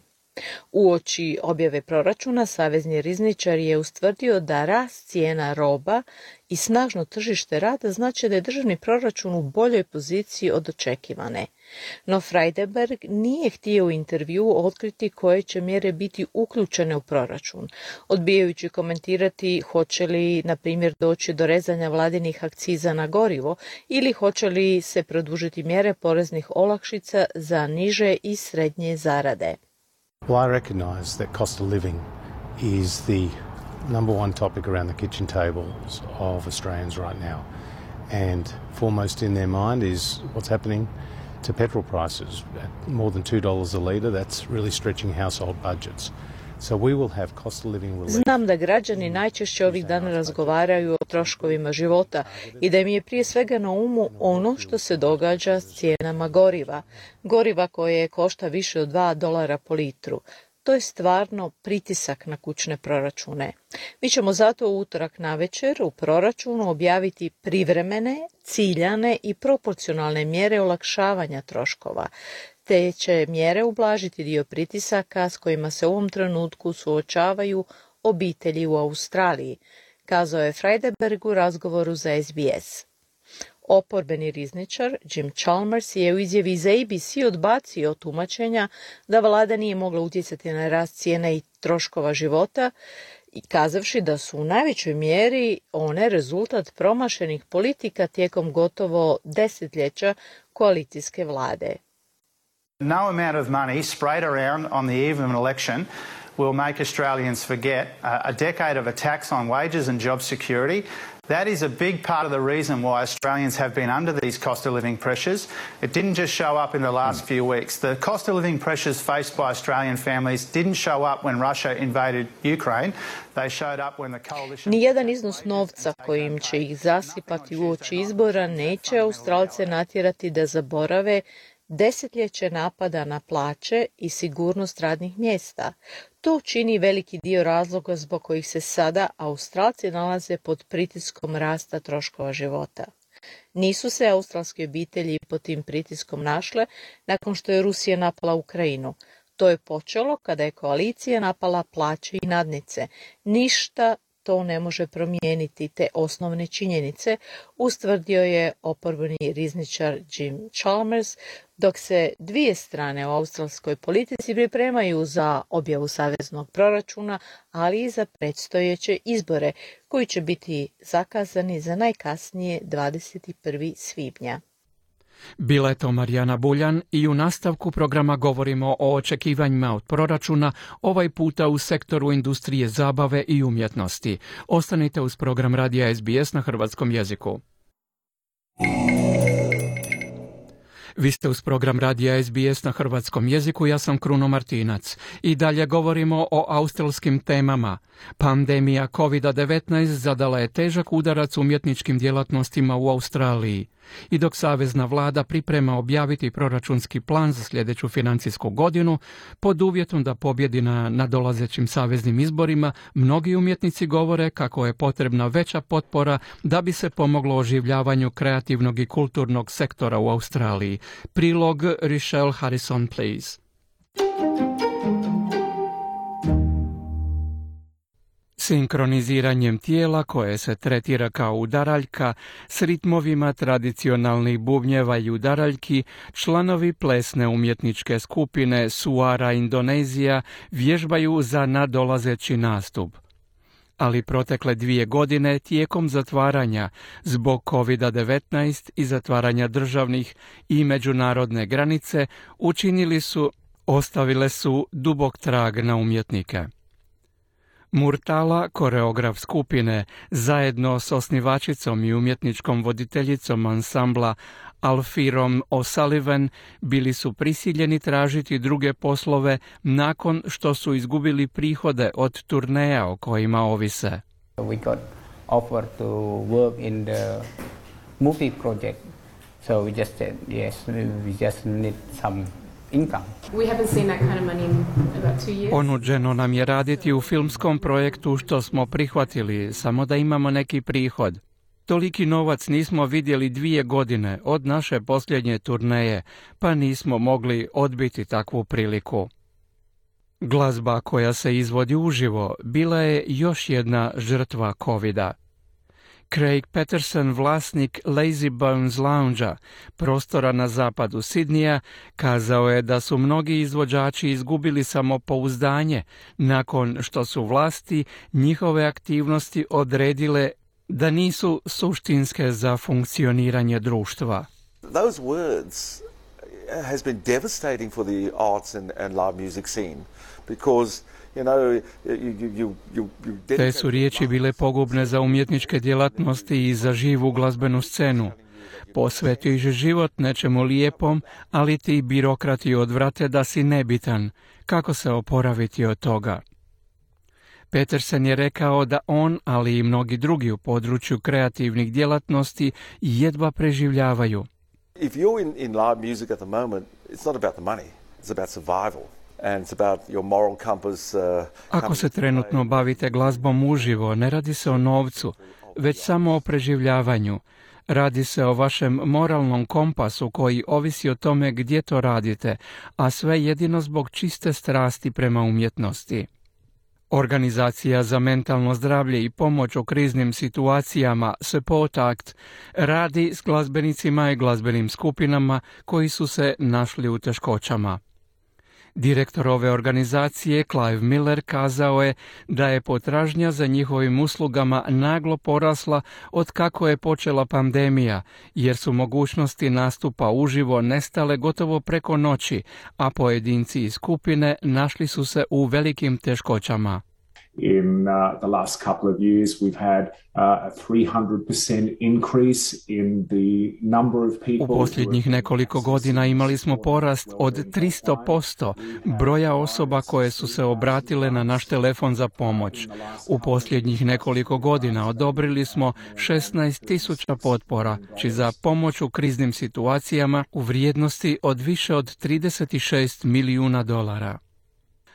Uoči objave proračuna, savezni rizničar je ustvrdio da rast cijena roba i snažno tržište rada znači da je državni proračun u boljoj poziciji od očekivane. No Freidenberg nije htio u intervju otkriti koje će mjere biti uključene u proračun, odbijajući komentirati hoće li, na primjer, doći do rezanja vladinih akciza na gorivo ili hoće li se produžiti mjere poreznih olakšica za niže i srednje zarade. Well, I recognise that cost of living is the number one topic around the kitchen tables of Australians right now. And foremost in their mind is what's happening to petrol prices. At more than two dollars a litre, that's really stretching household budgets. So we will have cost of living relief. Znam da građani najčešće ovih dana razgovaraju o troškovima života i da im je prije svega na umu ono što se događa s cijenama goriva. Goriva koje košta više od dva dolara po litru. To je stvarno pritisak na kućne proračune. Mi ćemo zato u utorak navečer u proračunu objaviti privremene, ciljane i proporcionalne mjere olakšavanja troškova. Te će mjere ublažiti dio pritisaka s kojima se u ovom trenutku suočavaju obitelji u Australiji, kazao je Freidenberg u razgovoru za S B S. Oporbeni rizničar Jim Chalmers je u izjavi za A B C odbacio tumačenja da vlada nije mogla utjecati na rast cijena i troškova života, i kazavši da su u najvećoj mjeri one rezultat promašenih politika tijekom gotovo desetljeća koalicijske vlade. No amount of money sprayed around on the eve of an election will make Australians forget a decade of attacks on wages and job security. That is a big part of the reason why Australians have been under these cost of living pressures. It didn't just show up in the last few weeks. The cost of living pressures faced by Australian families didn't show up when Russia invaded Ukraine. They showed up when the coalition... Nijedan iznos novca kojim će ih zasipati uoči izbora neće Australce natjerati da zaborave desetljeće napada na plaće i sigurnost radnih mjesta. To čini veliki dio razloga zbog kojih se sada Australci nalaze pod pritiskom rasta troškova života. Nisu se australske obitelji pod tim pritiskom našle nakon što je Rusija napala Ukrajinu. To je počelo kada je koalicija napala plaće i nadnice. Ništa to ne može promijeniti te osnovne činjenice, ustvrdio je oporbeni rizničar Jim Chalmers, dok se dvije strane u australskoj politici pripremaju za objavu saveznog proračuna, ali i za predstojeće izbore, koji će biti zakazani za najkasnije dvadeset prvog svibnja. Bila je to Marijana Buljan i u nastavku programa govorimo o očekivanjima od proračuna, ovaj puta u sektoru industrije zabave i umjetnosti. Ostanite uz program radija S B S na hrvatskom jeziku. Vi ste uz program radija S B S na hrvatskom jeziku, ja sam Kruno Martinac. I dalje govorimo o australskim temama. Pandemija kovid devetnaest zadala je težak udarac umjetničkim djelatnostima u Australiji. I dok savezna vlada priprema objaviti proračunski plan za sljedeću financijsku godinu, pod uvjetom da pobjedi na nadolazećim saveznim izborima, mnogi umjetnici govore kako je potrebna veća potpora da bi se pomoglo oživljavanju kreativnog i kulturnog sektora u Australiji. Prilog Richelle Harrison, please. Sinkroniziranjem tijela koje se tretira kao udaraljka s ritmovima tradicionalnih bubnjeva i udaraljki, članovi plesne umjetničke skupine Suara Indonezija vježbaju za nadolazeći nastup. Ali protekle dvije godine tijekom zatvaranja zbog kovid devetnaest i zatvaranja državnih i međunarodne granice učinili su, ostavile su dubok trag na umjetnike. Murtala, koreograf skupine, zajedno s osnivačicom i umjetničkom voditeljicom ansambla Alfirom O'Sullivan, bili su prisiljeni tražiti druge poslove nakon što su izgubili prihode od turneja o kojima ovise. We got offered to work in the movie project, so we just said yes, we just need some income. We haven't seen that kind of money in about two years. Ponuđeno nam je raditi u filmskom projektu što smo prihvatili, samo da imamo neki prihod. Toliki novac nismo vidjeli dvije godine od naše posljednje turneje, pa nismo mogli odbiti takvu priliku. Glazba koja se izvodi uživo bila je još jedna žrtva covida. Craig Patterson, vlasnik Lazy Bones Lounge-a, prostora na zapadu Sidnija, kazao je da su mnogi izvođači izgubili samopouzdanje nakon što su vlasti njihove aktivnosti odredile da nisu suštinske za funkcioniranje društva. Those words has been devastating for the arts and, and live music scene because you know you you you you Te su riječi bile pogubne za umjetničke djelatnosti i za živu glazbenu scenu. Posvetiš život nečemu lijepom, ali ti birokrati odvrate da si nebitan. Kako se oporaviti od toga? Peterson je rekao da on, ali i mnogi drugi u području kreativnih djelatnosti jedva preživljavaju. If you're in, in live music at the moment, it's not about the money, it's about survival. And it's about your moral compass, uh, Ako se trenutno bavite glazbom uživo, ne radi se o novcu, već samo o preživljavanju. Radi se o vašem moralnom kompasu koji ovisi o tome gdje to radite, a sve jedino zbog čiste strasti prema umjetnosti. Organizacija za mentalno zdravlje i pomoć u kriznim situacijama Support Act radi s glazbenicima i glazbenim skupinama koji su se našli u teškoćama. Direktor ove organizacije, Clive Miller, kazao je da je potražnja za njihovim uslugama naglo porasla od kako je počela pandemija, jer su mogućnosti nastupa uživo nestale gotovo preko noći, a pojedinci i skupine našli su se u velikim teškoćama. In uh, the last couple of years, we've had uh, a three hundred percent increase in the number of people. U posljednjih nekoliko godina imali smo porast od tristo posto broja osoba koje su se obratile na naš telefon za pomoć. U posljednjih nekoliko godina odobrili smo šesnaest tisuća potpora, či za pomoć u kriznim situacijama u vrijednosti od više od trideset šest milijuna dolara.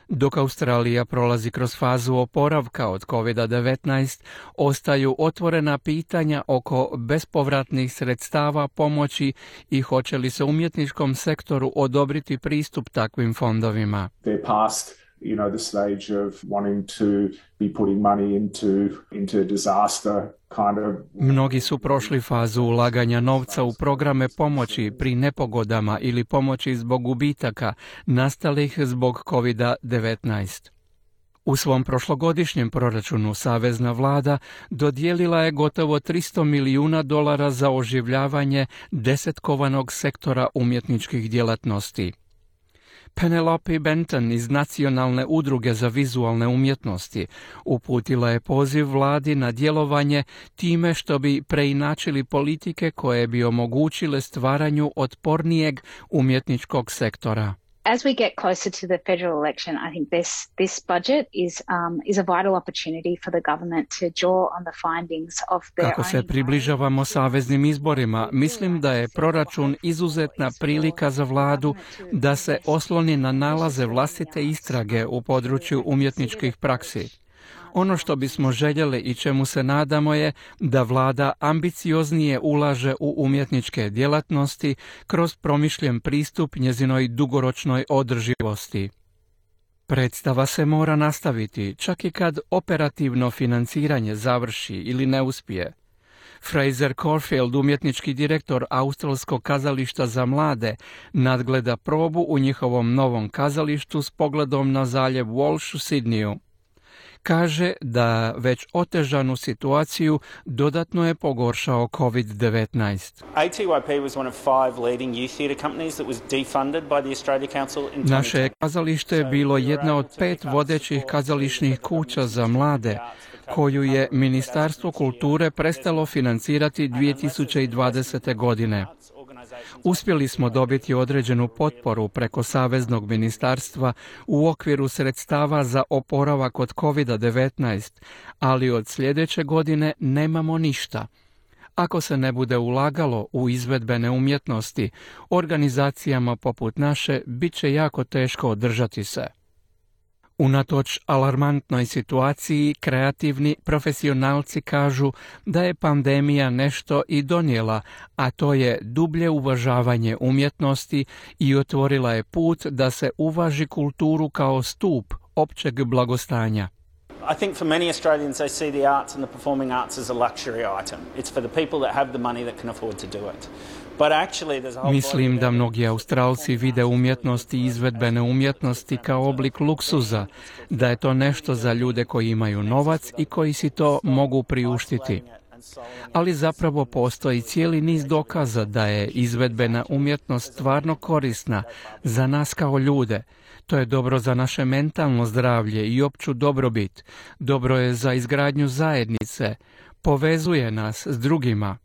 Dok Australija prolazi kroz fazu oporavka od kovid devetnaest, ostaju otvorena pitanja oko bespovratnih sredstava pomoći i hoće li se umjetničkom sektoru odobriti pristup takvim fondovima. You know, the stage of wanting to be putting money into into disaster kind of. Mnogi su prošli fazu ulaganja novca u programe pomoći pri nepogodama ili pomoći zbog gubitaka nastalih zbog kovid devetnaest. U svom prošlogodišnjem proračunu savezna vlada dodijelila je gotovo tristo milijuna dolara za oživljavanje desetkovanog sektora umjetničkih djelatnosti. Penelope Benton iz Nacionalne udruge za vizualne umjetnosti uputila je poziv vladi na djelovanje time što bi preinačili politike koje bi omogućile stvaranju otpornijeg umjetničkog sektora. As we get closer to the federal election, I think this this budget is um, is a vital opportunity for the government to draw on the findings of their Kako se približavamo saveznim izborima, mislim da je proračun izuzetna prilika za vladu da se osloni na nalaze vlastite istrage u području umjetničkih praksi. Ono što bismo željeli i čemu se nadamo je da vlada ambicioznije ulaže u umjetničke djelatnosti kroz promišljen pristup njezinoj dugoročnoj održivosti. Predstava se mora nastaviti, čak i kad operativno financiranje završi ili ne uspije. Fraser Corfield, umjetnički direktor Australskog kazališta za mlade, nadgleda probu u njihovom novom kazalištu s pogledom na zaljev Walsh u Sidniju. Kaže da već otežanu situaciju dodatno je pogoršao kovid devetnaest. Naše kazalište je bilo jedna od pet vodećih kazališnih kuća za mlade, koju je Ministarstvo kulture prestalo financirati dvije tisuće dvadesete. godine. Uspjeli smo dobiti određenu potporu preko Saveznog ministarstva u okviru sredstava za oporavak od kovid devetnaest, ali od sljedeće godine nemamo ništa. Ako se ne bude ulagalo u izvedbene umjetnosti, organizacijama poput naše bit će jako teško održati se. Unatoč alarmantnoj situaciji, kreativni profesionalci kažu da je pandemija nešto i donijela, a to je dublje uvažavanje umjetnosti i otvorila je put da se uvaži kulturu kao stup općeg blagostanja. I think for many Australians they see the arts and the performing arts as a luxury item. It's for the people that have the money that can afford to do it. But actually there's a whole Mislim da mnogi Australci vide umjetnost i izvedbene umjetnosti kao oblik luksuza, da je to nešto za ljude koji imaju novac i koji si to mogu priuštiti. Ali zapravo postoji cijeli niz dokaza da je izvedbena umjetnost stvarno korisna za nas kao ljude. To je dobro za naše mentalno zdravlje i opću dobrobit. Dobro je za izgradnju zajednice. Povezuje nas s drugima.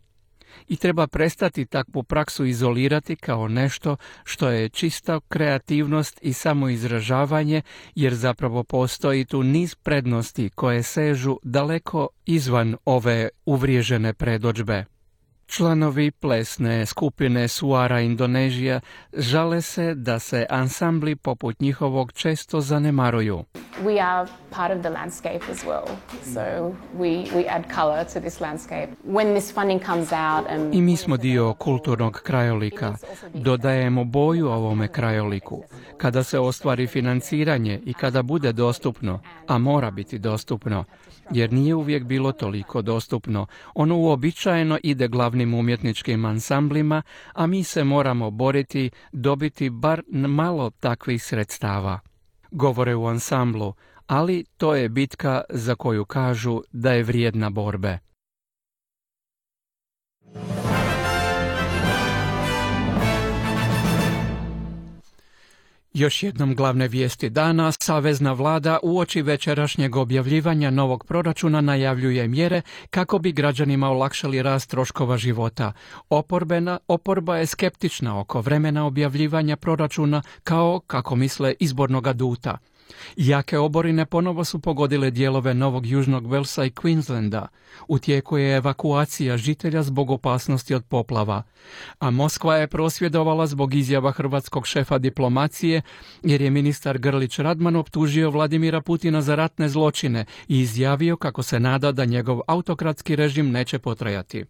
I treba prestati takvu praksu izolirati kao nešto što je čista kreativnost i samoizražavanje, jer zapravo postoji tu niz prednosti koje sežu daleko izvan ove uvriježene predodžbe. Članovi plesne skupine Suara Indonezija žale se da se ansambli poput njihovog često zanemaruju. We are part of the landscape as well, so we, we add color to this landscape. When this funding comes out and... I mi smo dio kulturnog krajolika. Dodajemo boju ovome krajoliku. Kada se ostvari financiranje i kada bude dostupno, a mora biti dostupno, jer nije uvijek bilo toliko dostupno, ono uobičajeno ide glavnim umjetničkim ansamblima, a mi se moramo boriti dobiti bar malo takvih sredstava. Govore u ansamblu, ali to je bitka za koju kažu da je vrijedna borbe. Još jednom glavne vijesti dana. Savezna vlada uoči večerašnjeg objavljivanja novog proračuna najavljuje mjere kako bi građanima olakšali rast troškova života. Oporbena, oporba je skeptična oko vremena objavljivanja proračuna kao, kako misle, izbornog aduta. Jake oborine ponovo su pogodile dijelove Novog Južnog Walesa i Queenslanda. U tijeku je evakuacija žitelja zbog opasnosti od poplava. A Moskva je prosvjedovala zbog izjava hrvatskog šefa diplomacije, jer je ministar Grlić Radman optužio Vladimira Putina za ratne zločine i izjavio kako se nada da njegov autokratski režim neće potrajati.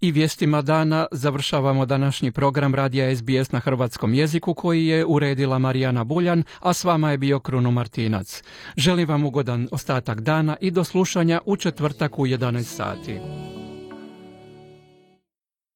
I vijestima dana završavamo današnji program radija S B S na hrvatskom jeziku koji je uredila Marijana Buljan, a s vama je bio Kruno Martinac. Želim vam ugodan ostatak dana i do slušanja u četvrtak u jedanaest sati.